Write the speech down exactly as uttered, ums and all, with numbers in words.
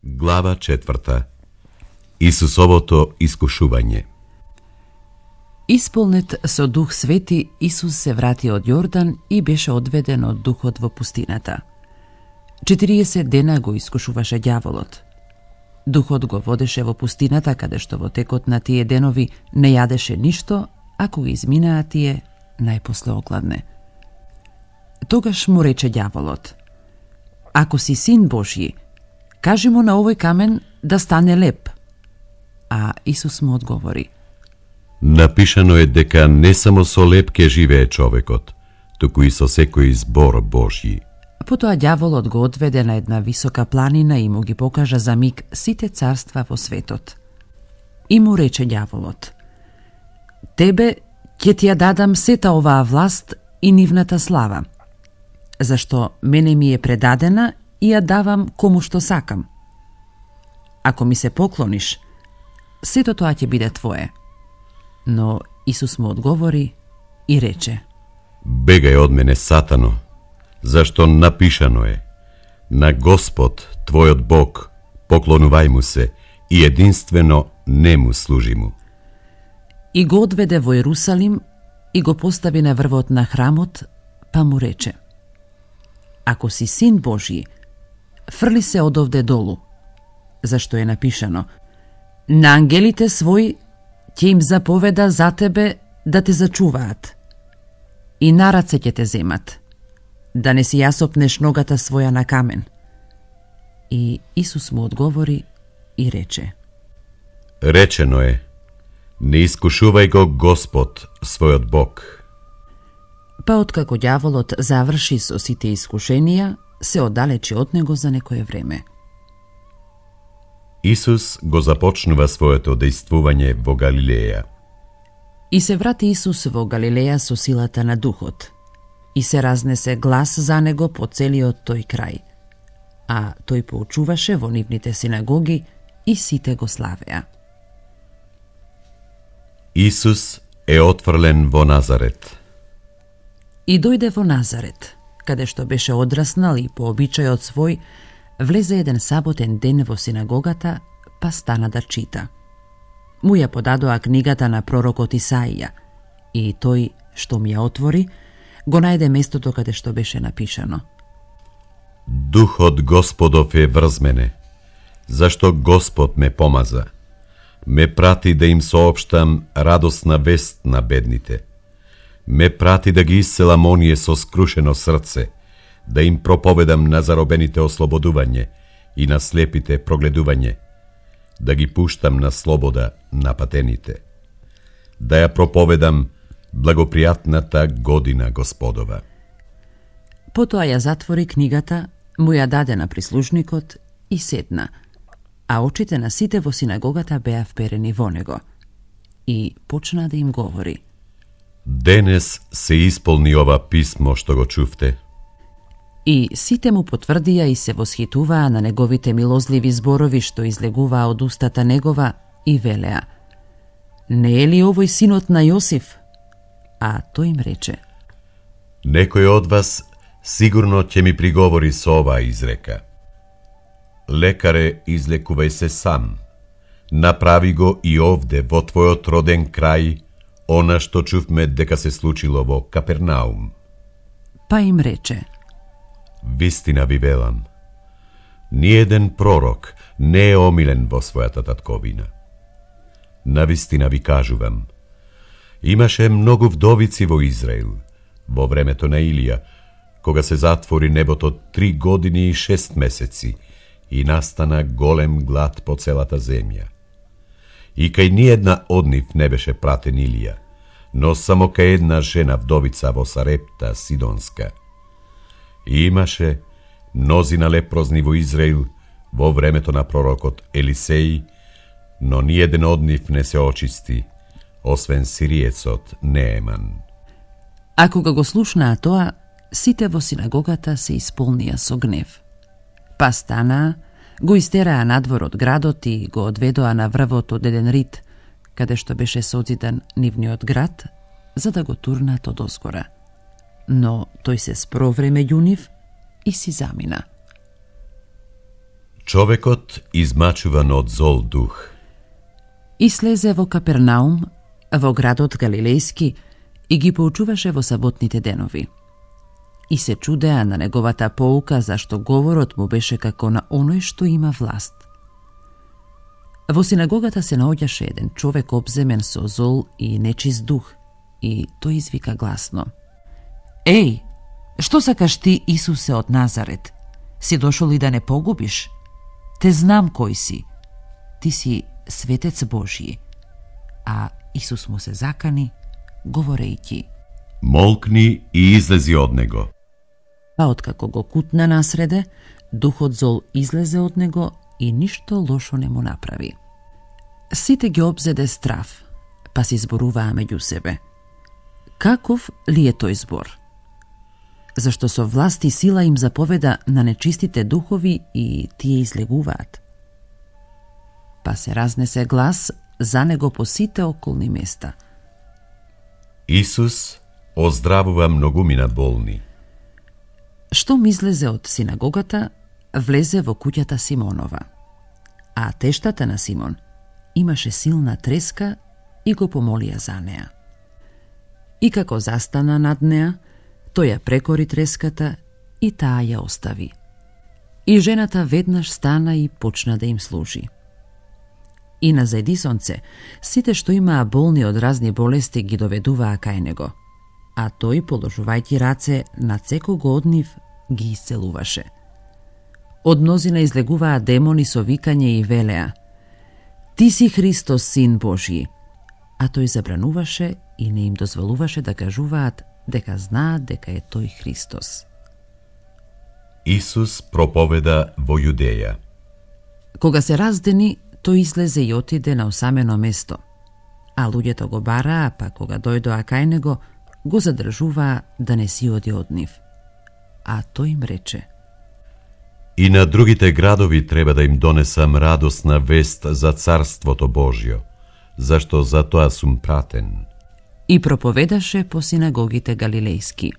Глава четврта. Исусовото искушување. Исполнет со Дух Свети, Исус се врати од Јордан и беше одведен од Духот во пустината. четириесет дена го искушуваше ѓаволот. Духот го водеше во пустината, каде што во текот на тие денови не јадеше ништо, ако ги изминаа тие, најпосле огладне. Тогаш му рече ѓаволот: Ако си син Божји, кажи му на овој камен да стане леп. А Исус му одговори: Напишано е дека не само со леп ке живее човекот, туку и со секој збор Божји. Потоа ѓаволот го одведе на една висока планина и му ги покажа за миг сите царства во светот. И му рече ѓаволот: Тебе ќе ти ја дадам сета оваа власт и нивната слава, зашто мене ми е предадена и ја давам кому што сакам. Ако ми се поклониш, сето тоа ќе биде твое. Но Исус му одговори и рече: Бегај од мене, Сатано, зашто напишано е: На Господ, твојот Бог, поклонувај му се и единствено нему служи му. И го одведе во Јерусалим и го постави на врвот на храмот, па му рече: Ако си син Божји, фрли се одовде долу, зашто е напишано: На ангелите свој ќе им заповеда за тебе да те зачуваат и на раце ќе те земат, да не си јасопнеш ногата своја на камен. И Исус му одговори и рече: Речено е: Не искушувај го Господ, својот Бог. Па откако ѓаволот заврши со сите искушенија, се оддалечи од него за некое време. Исус го започнува своето дејствување во Галилеја. И се врати Исус во Галилеја со силата на Духот, и се разнесе глас за него по целиот тој крај, а тој поучуваше во нивните синагоги и сите го славеа. Исус е отфрлен во Назарет. И дојде во Назарет, каде што беше одраснал и по обичајот свој, влезе еден саботен ден во синагогата, па стана да чита. Му ја подадоа книгата на пророкот Исаија, и тој, што ми ја отвори, го најде местото каде што беше напишано: Духот Господов е врз мене, зашто Господ ме помаза. Ме прати да им соопштам радосна вест на бедните. Ме прати да ги исцелам оние со скрушено срце, да им проповедам на заробените ослободување и на слепите прогледување, да ги пуштам на слобода на патените, да ја проповедам благопријатната година Господова. Потоа ја затвори книгата, му ја даде на прислужникот и седна, а очите на сите во синагогата беа вперени во него. И почна да им говори: Денес се исполни ова писмо што го чувте. И сите му потврдија и се восхитуваа на неговите милозливи зборови што излегуваа од устата негова и велеа: Не е ли овој синот на Јосиф? А тој им рече: Некој од вас сигурно ќе ми приговори со оваа изрека: Лекаре, излекувај се сам. Направи го и овде во твојот роден крај она што чувме дека се случило во Капернаум. Па им рече: Вистина ви велам, ниеден пророк не е омилен во својата татковина. Навистина ви кажувам, имаше многу вдовици во Израил, во времето на Илија, кога се затвори небото три години и шест месеци и настана голем глад по целата земја. И кај ниедна од нив не беше пратен Илија, но само кај една жена вдовица во Сарепта Сидонска. И имаше мнозина лепрозни во Израил во времето на пророкот Елисеј, но ниеден од нив не се очисти, освен сириецот Нееман. А кога го слушнаа тоа, сите во синагогата се исполнија со гнев. Па станаа, го истераа надвор од градот и го одведоа на врвот од еден рид, каде што беше созидан нивниот град, за да го турнат од озгора. Но тој се спровре меѓу нив и си замина. Човекот измачуван од зол дух. И слезе во Капернаум, во градот Галилејски, и ги поучуваше во саботните денови. И се чудеа на неговата поука, зашто говорот му беше како на оној што има власт. Во синагогата се наоѓаше еден човек обземен со зол и нечист дух, и тој извика гласно: Еј, што сакаш ти, Исусе од Назарет? Си дошол и да не погубиш? Те знам кој си. Ти си светец Божји. А Исус му се закани, говорејќи: Молкни и излези од него. Па откако го кутна насреде, духот зол излезе од него и ништо лошо не му направи. Сите ги обзеде страв, па си зборуваа меѓу себе: Каков ли е тој збор? Зашто со власт и сила им заповеда на нечистите духови и тие излегуваат. Па се разнесе глас за него по сите околни места: Исус оздравува многумина болни. Штом излезе од синагогата, влезе во куќата Симонова. А тештата на Симон имаше силна треска и го помолија за неа. И како застана над неа, тој ја прекори треската и таа ја остави. И жената веднаш стана и почна да им служи. И на заедисонце, сите што имаа болни од разни болести ги доведуваа кај него, а тој, положувајќи раце на секого од нив, ги исцелуваше. Од мнозина излегуваа демони со викање и велеа: Ти си Христос, Син Божји. А тој забрануваше и не им дозволуваше да кажуваат дека знаат дека е тој Христос. Исус проповеда во Јудеја. Кога се раздени, тој излезе и отиде на осамено место, а луѓето го бараа, па кога дојдоа кај него, го задржуваа да не си оди од нив. А тој им рече: И на другите градови треба да им донесам радосна вест за Царството Божјо, зашто за тоа сум пратен. И проповедаше по синагогите галилејски.